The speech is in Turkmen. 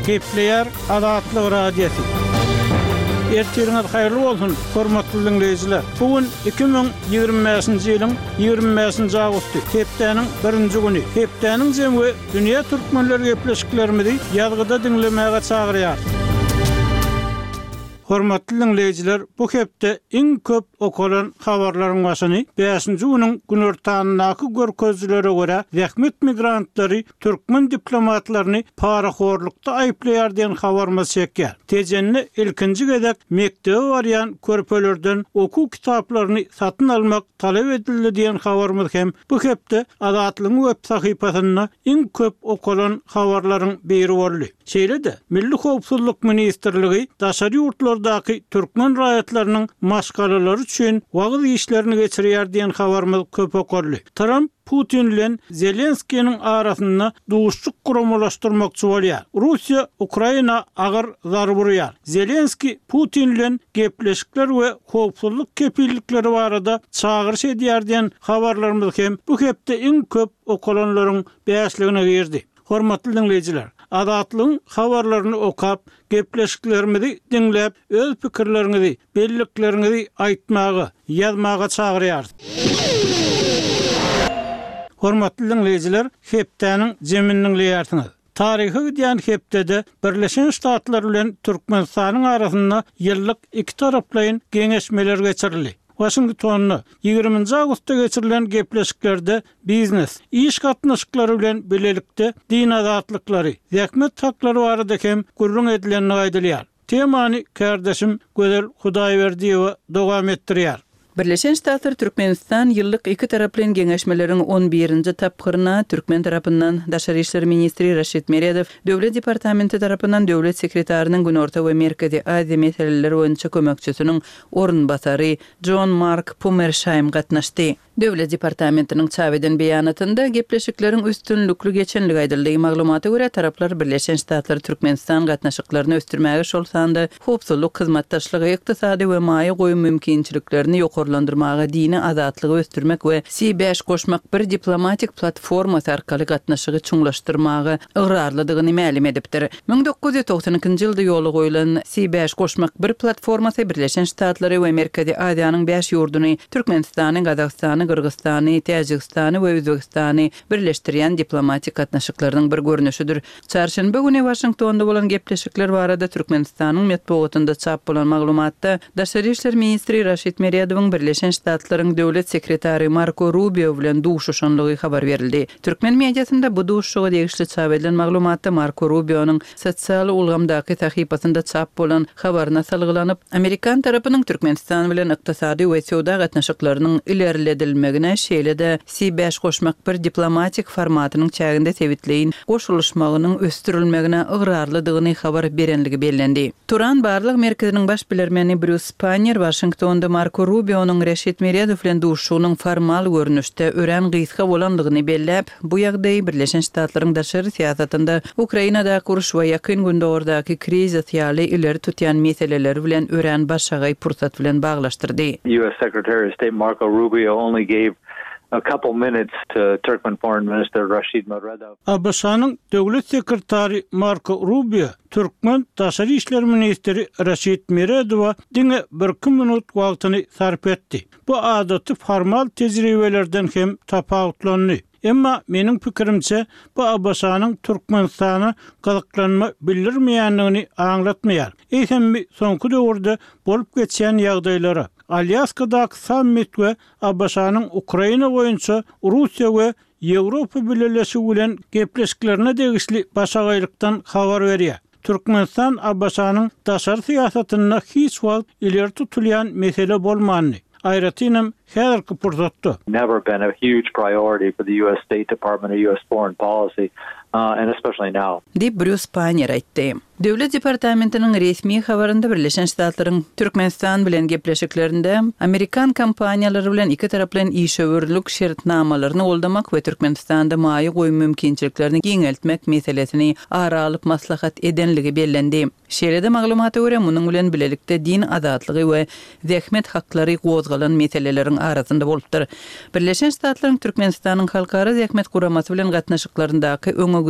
Gepleýär Azatlyk Radiosy. Ertiriňiz haýyrly bolsun, hormatly diňleýjiler! Bu gün 2025-nji ýylyň 25-nji awgusty, hepdäniň birinji güni. Hepdäniň jemi we dünýä türkmenleri gepleşiklerimizi ýazgyda diňlemäge çagyrýar. Hormatly diňleýjiler, bu hepde iň köp okalan habarlaryň başyny bäşinji günüň günortanyndaky görkezijilere görä, zähmet migrantlary türkmen diplomatlaryny parahorlukda aýyplaýar diýen habarymyz çekýär. Tejende ilkinji gezek mekdebe barýan körpelerden okuw kitaplaryny satyn almak talap edildi diýen habarymyz hem bu hepde Azatlygyň web sahypasynda iň köp okalan habarlaryň biri boldy. Şeýle-de, Milli howpsuzlyk ministrligi daşary ýurtlardaky türkmen raýatlarynyň maşgalalary üçin wagyz işlerini geçirýär diýen habarymyz köp okaldy. Tramp Putin bilen Zelenskiniň arasynda duşuşyk guramalaşdyrmakçy bolýar. Russiýa Ukraina agyr zarba urýar. Zelenskiý Putin bilen gepleşikler we howpsuzlyk kepillikleri barada çagyryş edýär diýen habarlarymyz hem bu hepde iň köp okalanlaryň bäşligine girdi. Hormatly diňleýjiler, Azatlygyň habarlaryny okap, gepleşiklerimizi diňläp, öz pikirleriňizi, bellikleriňizi aýtmaga, ýazmaga çagyrýarys. Hormatly diňleýjiler, hepdäniň jemini diňleýärsiňiz. Taryha gidýän hepdede Birleşen Ştatlar bilen Türkmenistanyň arasynda ýyllyk ikitaraplaýyn geňeşmeler geçirildi. Waşingtonda, ýigriminji awgustda geçirilen gepleşiklerde biznes, iş gatnaşyklary bilen bilelikde din azatlyklary, zähmet haklary barada hem gürrüň edilendigi aýdylýar. Temany kärdeşim Gözel Hudaýberdiýewa dowam etdirýär. Birleşen Ştatlar Türkmenistan ýyllyk ikitaraplaýyn geňeşmeleriň on birinji tapgyryna türkmen tarapyndan daşary işler ministri Raşid Meredow, Döwlet departamenti tarapyndan döwlet sekretarynyň Günorta we Merkezi Aziýa meseleleri boýunça kömekçisiniň orunbasary Jon Mark Pummerşaým gatnaşdy. Döwlet departamentiniň çap eden beýanatynda gepleşikleriň üstünlikli geçendigi aýdyldy. Maglumata görä, taraplar Birleşen Ştatlar-Türkmenistan gatnaşyklaryny ösdürmäge, şol sanda howpsuzlyk hyzmatdaşlygy, ykdysady we maýa goýum mümkinçiliklerini ýokarlandyrmaga, dini azatlygy ösdürmek we C bäş goşmak bir diplomatik platformasy arkaly gatnaşygy çuňlaşdyrmaga ygrarlydygyny mälim edipdir. 1992-nji ýylda ýola goýlan C bäş goşmak bir platformasy Birleşen Ştatlary we Merkezi Aziýanyň bäş ýurduny, Türkmenistany, Gazagystany, Gyrgyzystany, Täjigistany we Özbegistany birleşdirýän diplomatik gatnaşyklarynyň bir görnüşidir. Çarşenbe güni Waşingtonda bolan gepleşikler barada Türkmenistanyň metbugatynda çap bolan maglumatda daşary işler ministri Raşid Meredowyň Birleşen Ştatlaryň döwlet sekretary Marko Rubio bilen duşuşanlygy habar berildi. Türkmen mediasynda bu duşuşyga degişli çap edilen maglumatda Marko Rubionyň sosial ulgamdaky sahypasynda çap bolan habaryna salgylanyp, amerikan tarapynyň Türkmenistan bilen ykdysady we söwda gatnaşyklarynyň ilerledilmegine, şeýle-de C bäş goşmak bir diplomatik formatynyň çäginde sebitleýin goşulyşmagynyň ösdürilmegine ygrarlydygyny habar berenligi bellendi. Turan barlag merkeziniň baş bilermeni Brýus Spanner Waşingtonda Marko Rubionyň Reşit Meredow bilen duşuşygynyň formal görnüşde örän gysga bolandygyny belläp, bu ýagdaýy Birleşen Ştatlaryň daşary syýasatynda Ukrainadaky uruş we Ýakyn Gündogardaky krizis ýaly ileri tutýan meseleleri bilen örän başagaý pursat bilen baglaşdyrdy. US Secretary of State Marco Rubio only gave a couple minutes to Turkmen Foreign Minister Rashid Meredow. ABŞ-nyň Döwlet sekretary Marko Rubio Türkmen daşary işler ministri Raşid Meredowa diňe birki minut wagtyny sarp etdi. Bu adaty formal tejribelerden hem tapawutlandy. Emma, meniň pikirimçe, bu ABŞ-nyň Türkmenistana gyzyklanma bildirmeýändigini aňlatmaýar. Eýsem bi soňky döwürde bolup geçýän ýagdaýlara, Alýaskadaky sammit we ABŞ-nyň Ukraina boýunça Russiýa we Ýewropa Bileleşigi bilen gepleşiklerine degişli başagaýlykdan habar berýär. Türkmenistan ABŞ-nyň daşary syýasatynda hiç wagt ileri tutulýan mesele bolmandy, aýratynam häzirki pursatda. Never been a huge priority for the US State Department or US foreign policy, and especially now. Diýip, Brýus Pannier aýtdy. Döwlet departamentiniň resmi habarynda Birleşen Ştatlaryň Türkmenistan bilen gepleşiklerinde amerikan kompaniýalary bilen ikitaraplaýyn işewürlik şertnamalaryny goldamak we Türkmenistanda maýa goýum mümkinçiliklerini giňeltmek meselesini ara alyp maslahat edenligi bellendi. Şeýle-de maglumata görä, munuň bilen bilelikde din azatlygy we zähmet haklary gozgalan meseleleriň arasynda bolupdyr. Birleşen Ştatlaryň Türkmenistanyň Halkara zähmet guramasy bilen gatnaşyklaryndaky öňegidişli.